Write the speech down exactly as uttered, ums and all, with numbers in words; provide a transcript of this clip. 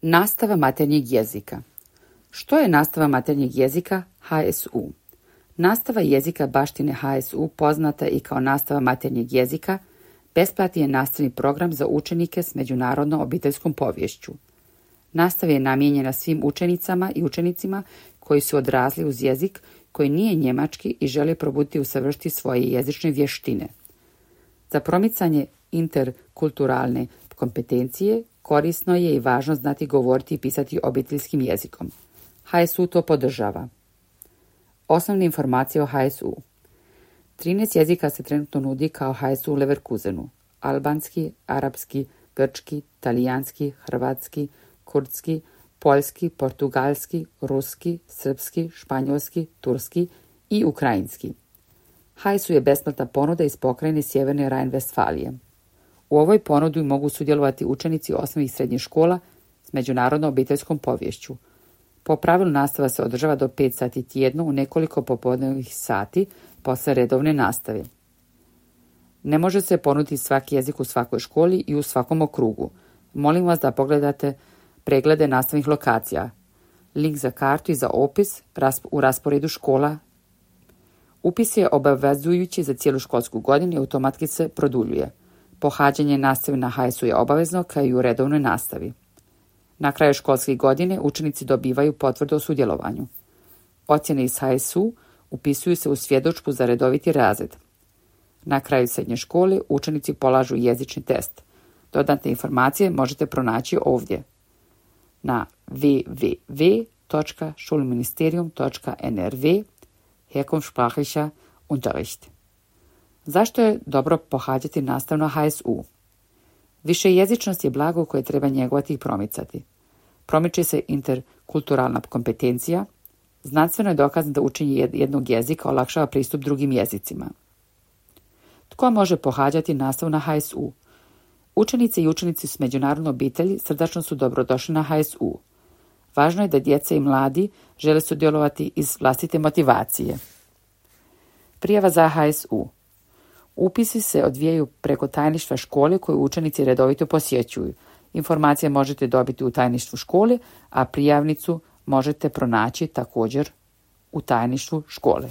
Nastava maternjeg jezika. Što je nastava maternjeg jezika H S U? Nastava jezika baštine H S U, poznata i kao nastava maternjeg jezika, besplatni je nastavni program za učenike s međunarodnom obiteljskom poviješću. Nastava je namijenjena svim učenicama i učenicima koji su odrasli uz jezik koji nije njemački i žele probuditi i usavršiti svoje jezične vještine. Za promicanje interkulturalne kompetencije korisno je i važno znati govoriti i pisati obiteljskim jezikom. H S U to podržava. Osnovne informacije o H S U. trinaest jezika se trenutno nudi kao H S U u Leverkusenu. Albanski, arapski, grčki, talijanski, hrvatski, kurdski, poljski, portugalski, ruski, srpski, španjolski, turski i ukrajinski. H S U je besplatna ponuda iz pokrajine Sjeverne Rajn-Vestfalije. U ovoj ponudi mogu sudjelovati učenici osnovnih i srednjih škola s međunarodnom obiteljskom poviješću. Po pravilu nastava se održava do pet sati tjedno u nekoliko popodnevnih sati posle redovne nastave. Ne može se ponuditi svaki jezik u svakoj školi i u svakom okrugu. Molim vas da pogledate preglede nastavnih lokacija. Link za kartu i za opis u rasporedu škola. Upis je obavezujući za cijelu školsku godinu i automatski se produljuje. Pohađanje nastave na H S U je obavezno kao i u redovnoj nastavi. Na kraju školske godine učenici dobivaju potvrdu o sudjelovanju. Ocjene iz H S U upisuju se u svjedodžbu za redoviti razred. Na kraju srednje škole učenici polažu jezični test. Dodatne informacije možete pronaći ovdje na w w w točka schulministerium točka n r w herkunftssprachlicher Unterricht. Zašto je dobro pohađati nastavu na H S U? Višejezičnost je blago koje treba njegovati i promicati. Promiče se interkulturalna kompetencija. Znanstveno je dokazano da učenje jednog jezika olakšava pristup drugim jezicima. Tko može pohađati nastavu na H S U? Učenice i učenici s međunarodnom obitelji srdačno su dobrodošli na H S U. Važno je da djeca i mladi žele sudjelovati iz vlastite motivacije. Prijava za H S U. Upisi se odvijaju preko tajništva škole koju učenici redovito posjećuju. Informacije možete dobiti u tajništvu škole, a prijavnicu možete pronaći također u tajništvu škole.